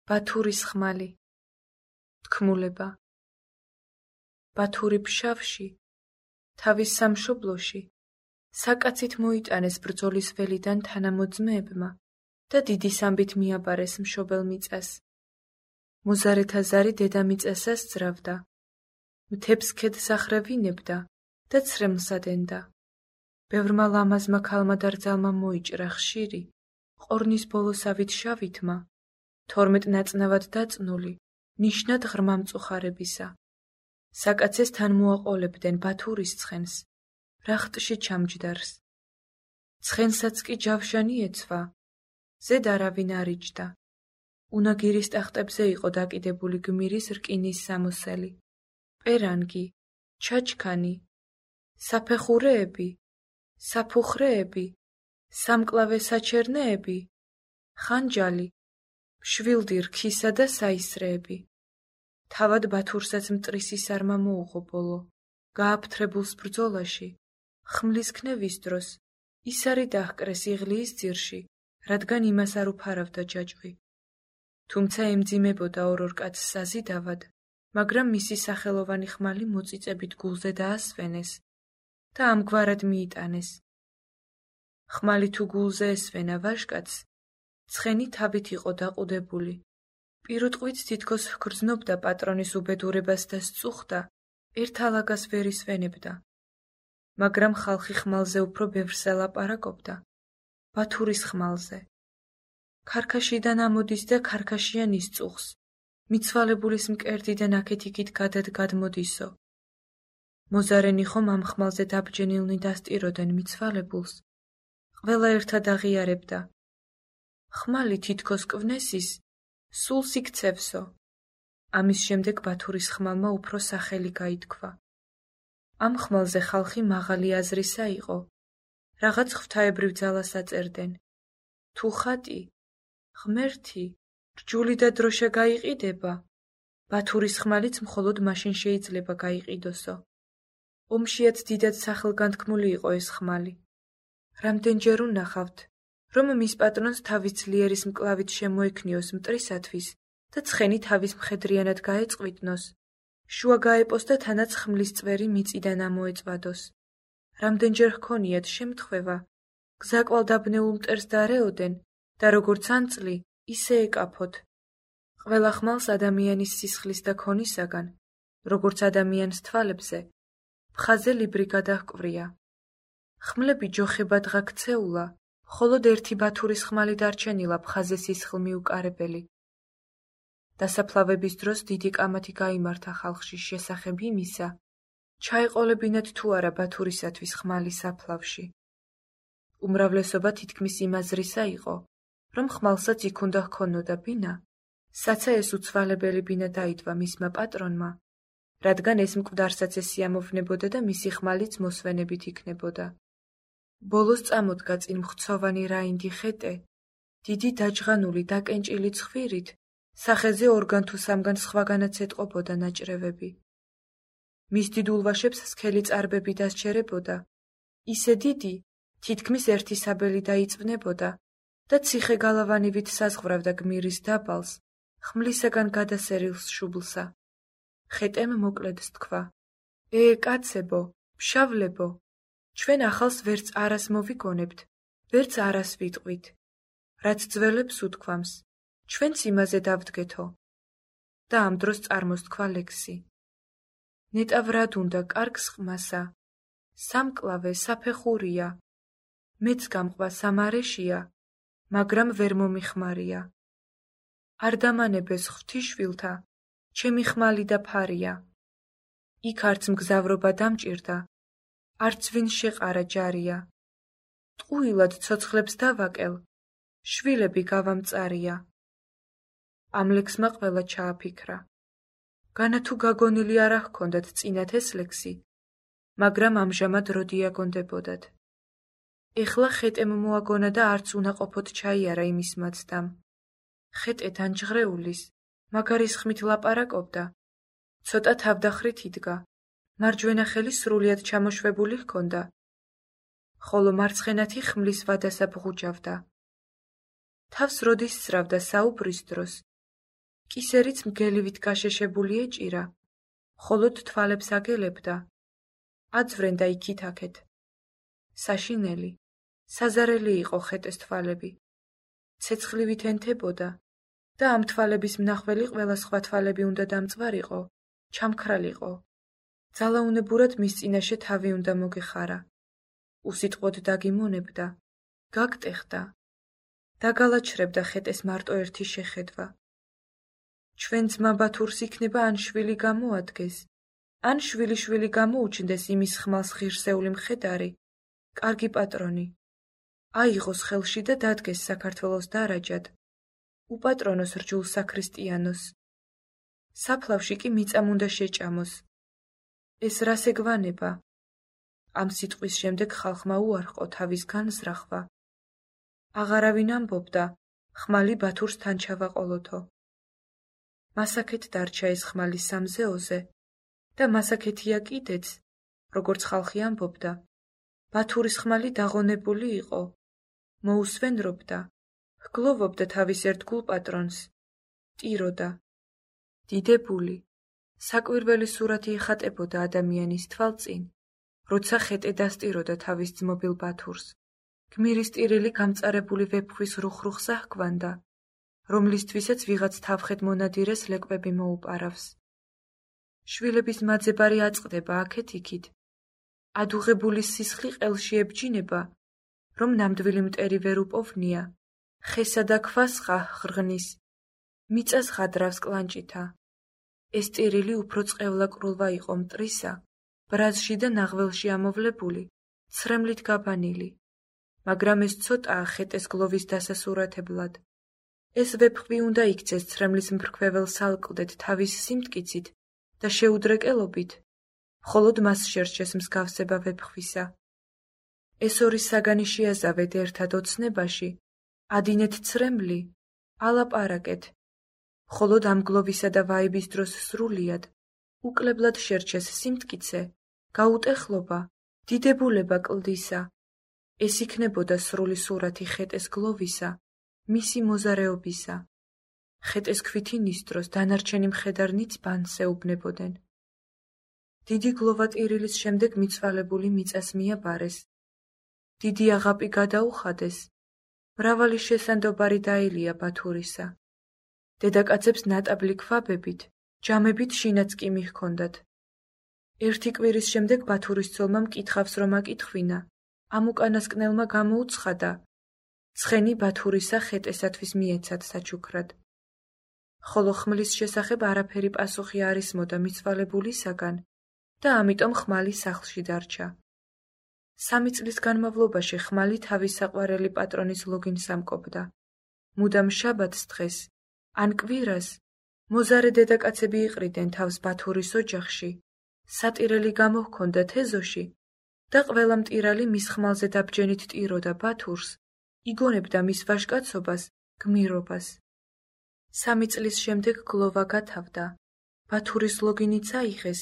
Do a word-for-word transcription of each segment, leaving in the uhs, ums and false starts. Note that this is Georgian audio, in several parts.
ბათურის ხმალი. თქმულება. ბათური ფშავში, თავის სამშობლოში, საკაცით მოიტანეს ბრძოლის ველიდან თანამოძმეებმა და დიდი სამბით მიაბარეს მშობელ მიწას. მოზარეთა ზარი დედამიწასას ძრავდა, მთებს ქედს ახრევინებდა და ცრემლსად ენდა. ბევრმა ლამაზმა ქალმა და რძალმა მოიჭრა ხშირი, ყორნის ბოლოსავით შავითმა, თორმეტ ნაწნავად დაწნული, ნიშნად ღრმა მწუხარებისა. საკაცეს თან მოაყოლებდნენ ბათურის ცხენს, რახტში ჩამჯდარს. ცხენსაც კი ჯავშანი ეცვა, ზედ არავინ არ იჯდა. უნაგირის ტახტებზე იყო დაკიდებული გმირის რკინის სამოსელი, პერანგი, ჩაჩქანი, საფეხურეები, საფუხრეები, სამკლავე საჩერნეები, ხანჯალი, მშვილდი რქისა და საისრეები. თავად ბათურსაც მტრისი სარმა მოუღო ბოლო, გააფთრებულს ბრძოლაში, ხმლის ქნევის დროს, ის არი დაჰკრეს იღლიის ძირში, რადგან იმას არ უფარავდა ჯაჭვი. თუმცა ემძიმებოდა ორ-ორ კაცს საზიდავად, მაგრამ მისი სახელოვანი ხმალი მოწიწებით გულზე დაასვენეს და ამგვარად მიიტანეს. ხმალი თუ გულზე ესვენა ვაჟკაცს, ცხენი თავით იყო დაყუდებული. პირუტყვით თითქოს ჰგრძნობდა პატრონის უბედურებას და სწუხდა, ერთ ალაგას ვერ ისვენებდა. მაგრამ ხალხი ხმალზე უფრო ბევრს ელაპარაკობდა, ბათურის ხმალზე. ქარქაშიდან ამოდის და ქარქაშიან ისწუხს, მიცვალებულის მკერდიდან აქეთ-იქით გადად გადმოდისო. მოზარენი ხომ ამ ხმალზე დაბჯენილნი დასტიროდნენ მიცვალებულს, ყველა ერთად აღიარებდა. ხმალი თითქოს კვნესის, სულს იქცევსო. ამის შემდეგ ბათურის ხმალმა უფრო სახელი გაითქვა. ამ ხმალზე ხალხი მაღალი აზრისა იყო, რაღაც ღვთაებრივ ძალას აწერდნენ. თუ ხატი, ღმერთი, რჯული და დროშა გაიყიდება, ბათურის ხმალიც მხოლოდ მაშინ შეიძლება გაიყიდოსო. ომშიაც დიდად სახელგანთქმული იყო ეს ხმალი. რამდენჯერ უნახავთ, რომ მის პატრონს თავის ძლიერის მკლავით შემოექნიოს მტრისათვის და ცხენი თავის მხედრიანად გაეწყვიტნოს, შუა გაეპოს და თანაც ხმლის წვერი მიწიდან ამოეწვადოს. რამდენჯერ ჰქონიათ შემთხვევა, გზაკვალ დაბნეულ მტერს დარეოდენ და როგორც ანწლი, ისე ეკაფოთ. ყველა ხმალს ადამიანის სისხლის და ქონისაგან, როგორც ადამიანს თვალებზე, მხაზე ლიბრი გადაჰკვრია. ხმლები ჯოხებადღა ქცეულა, მხოლოდ ერთი ბათურის ხმალი დარჩენილა მხაზე სისხლ მიუკარებელი. დასაფლავების დროს დიდი კამათი გაიმართა ხალხში შესახებ იმისა, ჩაეყოლებინათ თუ არა ბათურისათვის ხმალი საფლავში. უმრავლესობა თითქმის იმ აზრისა იყო, რომ ხმალსაც იქ უნდა ჰქონოდა ბინა, საცა ეს უცვალებელი ბინა დაიდვა მისმა პატრონმა, რადგან ეს მკვდარსაც ესიამოვნებოდა და მისი ხმალიც მოსვენებით იქნებოდა. ბოლოს წამოდგა წინ მხცოვანი რაინდი ხეტე, დიდი დაჯღანული დაკენჭილი ცხვირით, სახეზე ორგან თუ სამგან სხვაგანაც ეტყობოდა ნაჭრევები. მის დიდ ულვაშებს სქელი წარბები დასჯერებოდა, ისე დიდი, თითქმის ერთი საბელი დაიწვნებოდა და ციხე გალავანივით საზღვრავდა გმირის დაბალს, ხმლისაგან გადასერილს შუბლსა. ხეტემ მოკლედ სთქვა: „ე, კაცებო, ფშავლებო, ჩვენ ახალს ვერც არას მოვიგონებთ, ვერც არას ვიტყვით. რაც ძველებს უთქვამს, ჩვენც იმაზე დავდგეთო. და ამ დროს წარმოსთქვა ლექსი. ნეტავ რად უნდა კარგს ყმასა, სამკლავე საფეხურია, მეც გამყვა სამარეშია, მაგრამ ვერ მომიხმარია. არ დამანებეს ღვთიშვილთა, ჩემი ხმალი და ფარია. იქ არც მგზავრობა დამჭირდა, არც ვინ შეყარა ჯარია. ტყუილად ცოცხლებს დავაკელ, შვილები გავამწარია. ამ ლექსმა ყველა ჩააფიქრა. განა თუ გაგონილი არ ჰქონდათ წინათ ეს ლექსი, მაგრამ ამჟამად როდი აგონდებოდათ. ეხლა ხეტემ მოაგონა და არც უნაყოფოდ ჩაიარა იმის მაცდამ. ხეტე დანჯღრეულის, მაგარის ხმით ლაპარაკობდა, ცოტა თავდახრით იდგა, მარჯვენა ხელი სრულიად ჩამოშვებული ჰქონდა, ხოლო მარცხენათი ხმლის ვადასა ბღუჯავდა. თავს როდის სწრავდა საუბრის დროს, კისერიც მგელივით გაშეშებული ეჭირა, მხოლოდ თვალებს აგელებდა. აწვრენდა იქით-აქეთ. საშინელი, საზარელი იყო ხეტეს თვალები. ცეცხლივით ენთებოდა და ამ თვალების მნახველი ყველა სხვა თვალები უნდა დამწვარიყო, ჩამქრალიყო. ძალაუნებურად მის წინაშე თავი უნდა მოგეხარა. უსიტყვოდ დაგიმონებდა, გაგტეხდა. დაგალაჩრებდა ხეტეს მარტო ერთი შეხედვა. ჩვენ ძმა ბათურს იქნება ან შვილი გამოადგეს, ან შვილი-შვილი გამოუჩნდეს იმის ხმალს ღირსეული მხედარი, კარგი პატრონი. აიღოს ხელში და დადგეს საქართველოს დარაჯად. უპატრონოს რჯულ საქრისტიანოს. საფლავში კი მიწამ უნდა შეჭამოს. ეს რას ეგვანება? ამ სიტყვის შემდეგ ხალხმა უარყო თავის განზრახვა. აღარავინ ამბობდა, ხმალი ბათურს თან ჩავაყოლოთო. მასაქეთ დარჩა ეს ხმალი სამზეოზე და მასაქეთია კიდეც, როგორც ხალხი ამბობდა, ბათურის ხმალი დაღონებული იყო, მოუსვენრობდა, ჰგლოვობდა თავის ერთგულ პატრონს, ტიროდა. დიდებული, საკვირველი სურათი ეხატებოდა ადამიანის თვალწინ, როცა ხეტე დასტიროდა თავის ძმობილ ბათურს. გმირის ტირილი გამწარებული ვეფხვის რუხ-რუხსა ჰგვანდა, რომლისთვისაც ვიღაც თავხედ მონადირეს ლეკვები მოუპარავს. შვილების მაძებარი აწყდება აქეთ-იქით. ადუღებულის სისხლი ყელში ებჯინება, რომ ნამდვილი მტერი ვერ უპოვნია, ხესა და ქვას ხა ხრღნის, მიწას ხადრავს კლანჭითა. ეს ტირილი უფრო წყევლა-კრულვა იყო მტრისა, ბრაზში და ნაღველში ამოვლებული, ცრემლით გაბანილი. მაგრამ ეს ცოტაა ხეტეს გლოვის დასასურათებლად. ეს ვეფხვი უნდა იქცეს ცრემლის მფრქვეველს სალკლდეთ თავის სიმტკიცით და შეუდრეკელობით, მხოლოდ მას შერჩეს მსგავსება ვეფხვისა. ეს ორი საგანი შეაზავეთ ერთად ოცნებაში, ადინეთ ცრემლი, ალაპარაკეთ, მხოლოდ ამ გლოვისა და ვაიბის დროს სრულიად, უკლებლად შერჩეს სიმტკიცე, გაუტეხლობა, დიდებულება კლდისა. ეს იქნებოდა სრული სურათი ხეტეს გლოვისა, მისი მოზარეობისა. ხეტეს ქვითი ნისდროს დანარჩენი მხედარნიც ბანს ეუბნებოდნენ. დიდი გლოვა ტირილის შემდეგ მიცვალებული მიწას მიაბარეს. დიდი აღაპი გადაუხადეს. მრავალი შესანდობარი დაილია ბათურისა. დედაკაცებს ნატაბლი ქვაბებით, ჯამებით შინაც კი მიჰქონდათ. ერთი კვირის შემდეგ ბათურის ცოლმა მკითხავს რომ აკითხვინა, ამ უკანასკნელმა გამოუცხადა, ცხენი ბათურისა ხეტესათვის მიეცათ საჩუქრად. ხოლო ხმლის შესახებ არაფერი პასუხი არ ისმოდა მიცვალებულისაგან და ამიტომ ხმალი სახლში დარჩა. სამი წლის განმავლობაში ხმალი თავის საყვარელი პატრონის ლოგინს ამკობდა. მუდამ შაბათს დღეს, ან კვირას, მოზარე დედაკაცები იყრიდნენ თავს ბათურის ოჯახში, სატირელი გამოჰქონდათ ეზოში და ყველა მტირალი მის ხმალზე დაბჯენით ტიროდა ბათურს, იგონებდა მის ვაჟკაცობას, გმირობას. სამი წლის შემდეგ გლოვა გათავდა, ბათურის ლოგინიც აიღეს,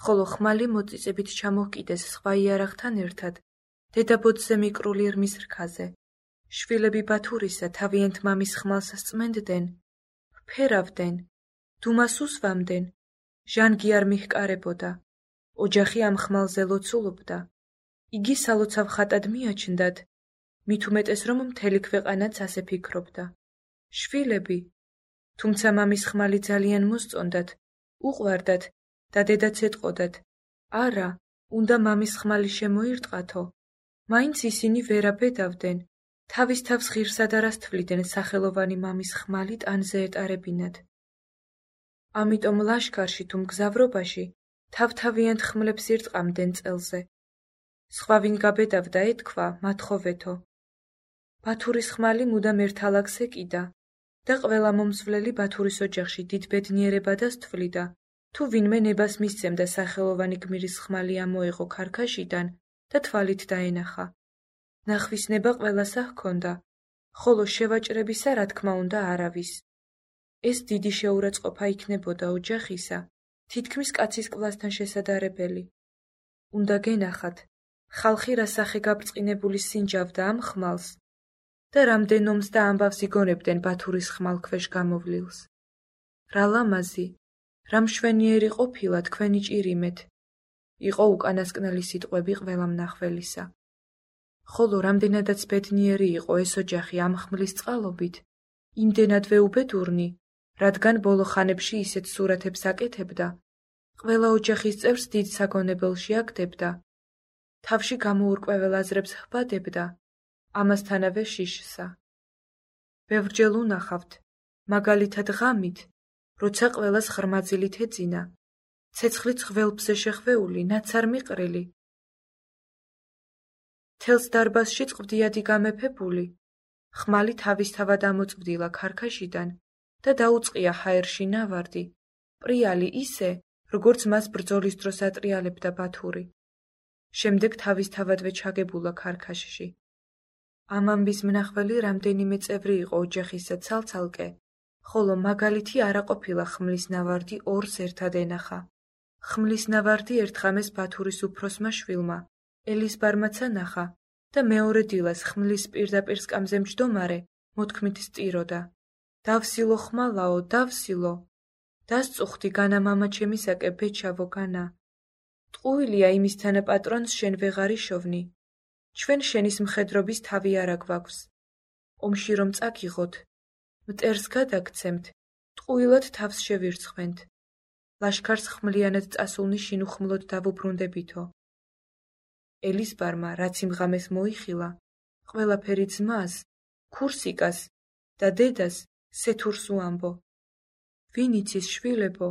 ხოლო ხმალი მოწიწებით ჩამოჰკიდეს სხვა იარაღთან ერთად, დედაბოძზე მიკრული ირმის რქაზე. შვილები ბათურისა თავიანთ მამის ხმალს სწმენდნენ, ფერავდნენ, დუმას უსვამდნენ, ჟანგი არ მიჰკარებოდა, ოჯახი ამ ხმალზე ლოცულობდა. იგი სალოცავ ხატად მიაჩნდათ, მით უმეტეს რომ მთელი ქვეყანაც ასე ფიქრობდა. შვილები, თუმცა მამის ხმალი ძალიან მოსწონდათ, უყვარდათ და დედაც ეტყოდათ, არა, უნდა მამის ხმალი შემოირტყათო, მაინც ისინი ვერ აბედავდნენ, თავის თავს ღირსად არას თვლიდნენ სახელოვანი მამის ხმალი ტანზე ეტარებინათ. ამიტომ ლაშქარში თუ მგზავრობაში თავ-თავიანთ ხმლებს ირტყამდნენ წელზე. სხვა ვინ გაბედავდა ეთქვა, მათხოვეთო. ბათურის ხმალი მუდამ ერთ ალაგს ეკიდა და ყველა მომსვლელი ბათურის ოჯახში დიდ ბედნიერებადას თვლიდა, თუ ვინმე ნებას მისცემდა სახელოვანი გმირის ხმალი ამოეღო ქარქაშიდან და თვალით დაენახა. ნახვის ნება ყველასა ჰქონდა, ხოლო შევაჭრებისა რა თქმა უნდა არავის. ეს დიდი შეურაცხყოფა იქნებოდა ოჯახისა, თითქმის კაცის კლასთან შესადარებელი. უნდა გენახათ, ხალხი რა სახე გაბრწყინებული სინჯავდა ამ ხმალს და რამდენ ომს და ამბავს იგონებდნენ ბათურის ხმალქვეშ გამოვლილს. რა ლამაზი, რა მშვენიერი ყოფილა თქვენი ჭირიმეთ, იყო უკანასკნელი სიტყვები ყველა მნახველისა. ხოლო რამდენადაც ბედნიერი იყო ეს ოჯახი ამ ხმლის წყალობით, იმდენადვე უბედურნი, რადგან ბოლო ხანებში ისეთ სურათებს აკეთებდა, ყველა ოჯახის წევრს დიდ საგონებელში აგდებდა, თავში გამოურკვეველ აზრებს ჰბადებდა, ამასთანავე შიშსა. ბევრჯერ უნახავთ, მაგალითად ღამით, როცა ყველას ხრმაძილით ეძინა, ცეცხლით ხველბზე შეხვეული, ნაცარ მიყრილი. თელს დარბაზში წყვდიადი გამეფებული, ხმალი თავისთავად ამოწვდილა ქარქაშიდან და დაუწყია ჰაერში ნავარდი, პრიალი ისე, როგორც მას ბრძოლის დროს ატრიალებდა ბათური. შემდეგ თავისთავადვე ჩაგებულა ქარქაშში. ამ ამბის მნახველი რამდენიმე წევრი იყო ოჯახისა ცალ-ცალკე, ხოლო მაგალითი არა ყოფილა ხმლის ნავარდი ორს ერთად ენახა. ხმლის ნავარდი ერთხამეს ბათურის უფროსმა შვილმა, ელიზბარმაცა ნახა და მეორე დილას ხმლის პირდაპირ სკამზე მჯდომარე მოთქმით სტიროდა. დავსილო ხმალაო, დავსილო. დასწუხდი განა მამა ჩემისაკე ბეჩავო განა. ტყუილია იმისთანა პატრონს შენ ვეღარ იშოვნი. ჩვენ შენის მხედრობის თავი არა გვაქვს. ომში რომ წაგიღოთ, მტერს გადაგცემთ, ტყუილად თავს შევირცხვენთ. ლაშქარს ხმლიანად წასულნი შინუხმლოდ დავუბრუნდებითო. ელიზბარმა, რაც იმ ღამეს მოიხილა, ყველაფერი ძმას, ქურსიკას და დედას სეთურს უამბო. ვინ იცის შვილებო,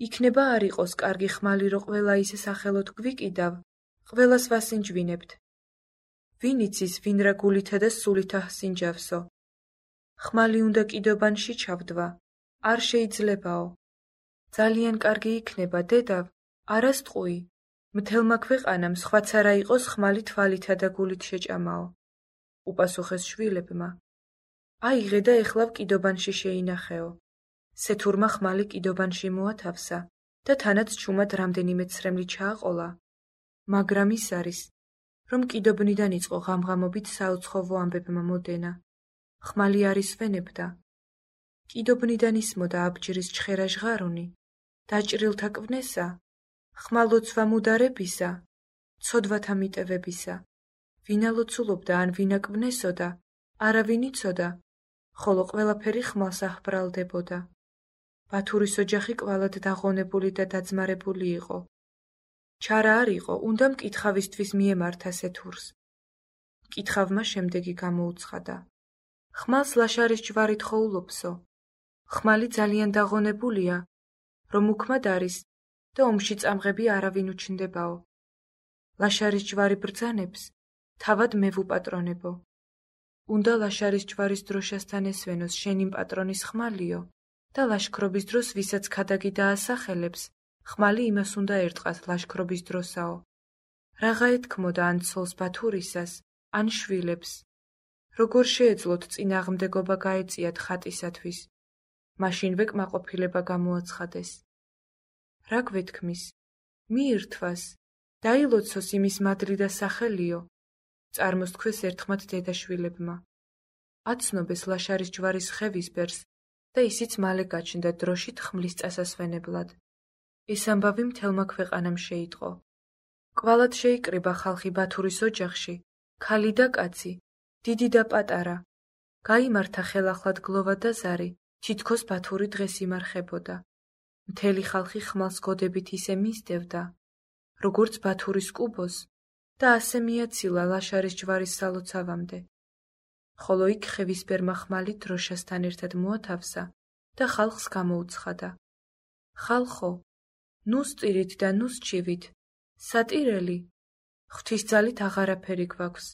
იქნება არ იყოს კარგი ხმალი რო ყველა ისე სახელოდ გვიკიდავ, ყველას ვასინჯვინებთ. ვინ იცის ვინ რა გულითა და სულითა ჰსინჯავსო. ხმალი უნდა კიდობანში ჩავდვა, არ შეიძლებაო. ძალიან კარგი იქნება დედავ, არა სტყუი. მთელმა ქვეყანამ სხვაც არა იყოს ხმალი თვალითა და გულით შეჭამაო. უპასუხეს შვილებმა. აიღე და ეხლავ კიდობანში შეინახეო. სეთურმა ხმალი კიდობანში მოათავსა და თანაც ჩუმად რამდენიმე ცრემლი ჩააყოლა. მაგრამ ის არის, რომ კიდობნიდან იწყო ღამღამობით საუცხოვო ამბებმა მოდენა. ხმალი არის ვენებდა. კიდობნიდან ისმოდა აბჯრის ჩხერა ჟღარუნი, დაჭრილთა კვნესა, ხმალოცვა მუდარებისა, ცოდვათა მიტევებისა. ვინა ლოცულობდა ან ვინა კვნესოდა, არავინ იცოდა, ხოლო ყველაფერი ხმალს აჰბრალდებოდა. ბათურის ოჯახი კვალად დაღონებული და დაძმარებული იყო. ჩარა არ იყო, უნდა მკითხავისთვის მიემართა სეთურს. მკითხავმა შემდეგი გამოუცხადა. ხმალს ლაშარის ჯვარი თხოვულობსო. ხმალი ძალიან დაღონებულია, რომ უქმად არის და ომში წამღები არავინ უჩნდებაო. ლაშარის ჯვარი ბრძანებს, თავად მე ვუპატრონებო. უნდა ლაშარის ჯვარის დროშასთან ესვენოს შენი პატრონის ხმალიო და ლაშქრობის დროს ვისაც ქადაგი დაასახელებს, ხმალი იმას უნდა ერტყას ლაშქრობის დროსაო. რაღა ეთქმოდა ან ცოლს ბათურისას, ან შვილებს. როგორ შეეძლოთ წინააღმდეგობა გაეწიათ ხატისათვის. მაშინვე კმაყოფილება გამოაცხადეს. რა გვეთქმის? მიირთვას, დაილოცოს იმის მადლი და სახელიო. წარმოსთქვეს ერთხმად დედაშვილებმა. აცნობეს ლაშარის ჯვარის ხევისბერს და ისიც მალე გაჩნდა დროშით ხმლის წასასვენებლად. ეს ამბავი მთელმა ქვეყანამ შეიტყო. კვალად შეიკრიბა ხალხი ბათურის ოჯახში, ქალი და კაცი, დიდი და პატარა. გაიმართა ხელახლად გლოვა და ზარი, თითქოს ბათური დღეს იმარხებოდა. მთელი ხალხი ხმალს გოდებით ისე მისდევდა, როგორც ბათურის კუბოს და ასე მიაცილა ლაშარის ჯვარის სალოცავამდე. ხოლო იქ ხევისბერმა ხმალი დროშასთან ერთად მოათავსა და ხალხს გამოუცხადა. ხალხო, ნუ სწირით და ნუ სჩივით, სატირელი, ღვთისძალით აღარაფერი გვაქვს.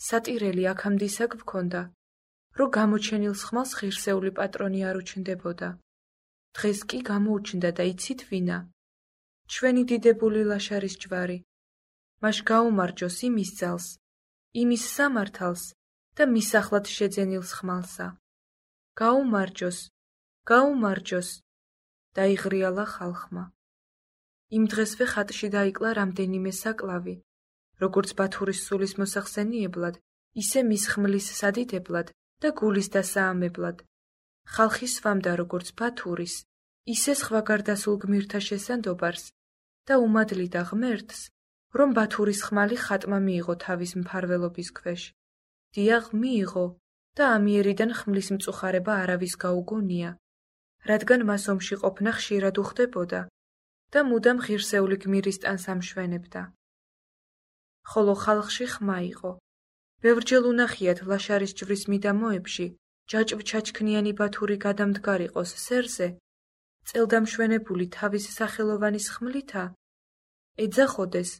სატირელი აქამდისა გვქონდა, რომ გამოჩენილ ხმალს ღირსეული პატრონი არ უჩნდებოდა. დღეს კი გამოუჩნდა და იცით ვინა? ჩვენი დიდებული ლაშარის ჯვარი. მაშ გაუმარჯოს იმის ძალს, იმის სამართალს და მისახლად შეძენილს ხმალსა. გაუმარჯოს, გაუმარჯოს, დაიღრიალა ხალხმა. იმ დღესვე ხატში დაიკლა რამდენიმე საკლავი, როგორც ბათურის სულის მოსახსენიებლად, ისე მის ხმლის სადიდებლად და გულის დასაამებლად. ხალხი სვამდა როგორც ბათურის, ისე სხვა გარდასულ გმირთა შესანდობარს და უმადლიდა ღმერთს, რომ ბათურის ხმალი ხატმა მიიღო თავის მფარველობის ქვეშ. დიაღ მიიღო და ამიერიდან ხმლის მწუხარება არავის გაუგონია, რადგან მას ომში ყოფნა ხშირად უხდებოდა და მუდამ ღირსეული გმირის ტანს ამშვენებდა. ხოლო ხალხში ხმა იყო. ბევრჯერ უნახიათ ლაშარის ჯვრის მიდამოებში ჯაჭვ-ჩაჩქნიანი ბათური გადამდგარიყოს სერზე, წელდამშვენებული თავის სახელოვანის ხმლითა, ეძახოდეს,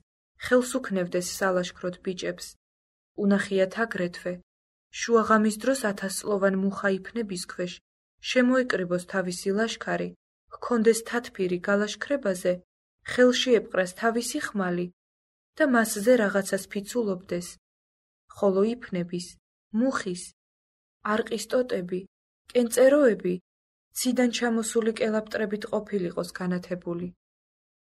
ხელს უქნევდეს სალაშქროდ ბიჭებს. უნახიათ აგრეთვე, შუაღამის დროს ათასწლოვან მუხაიფნების ქვეშ შემოეკრიბოს თავისი ლაშქარი, ჰქონდეს თათფირი გალაშქრებაზე, ხელში ეპყრას თავისი ხმალი და მასზე რაღაცას ფიცულობდეს. ხოლო იფნების, მუხის, არყის ტოტები, კენწეროები ციდან ჩამოსული კელაპტრებით ყოფილიყოს განათებული.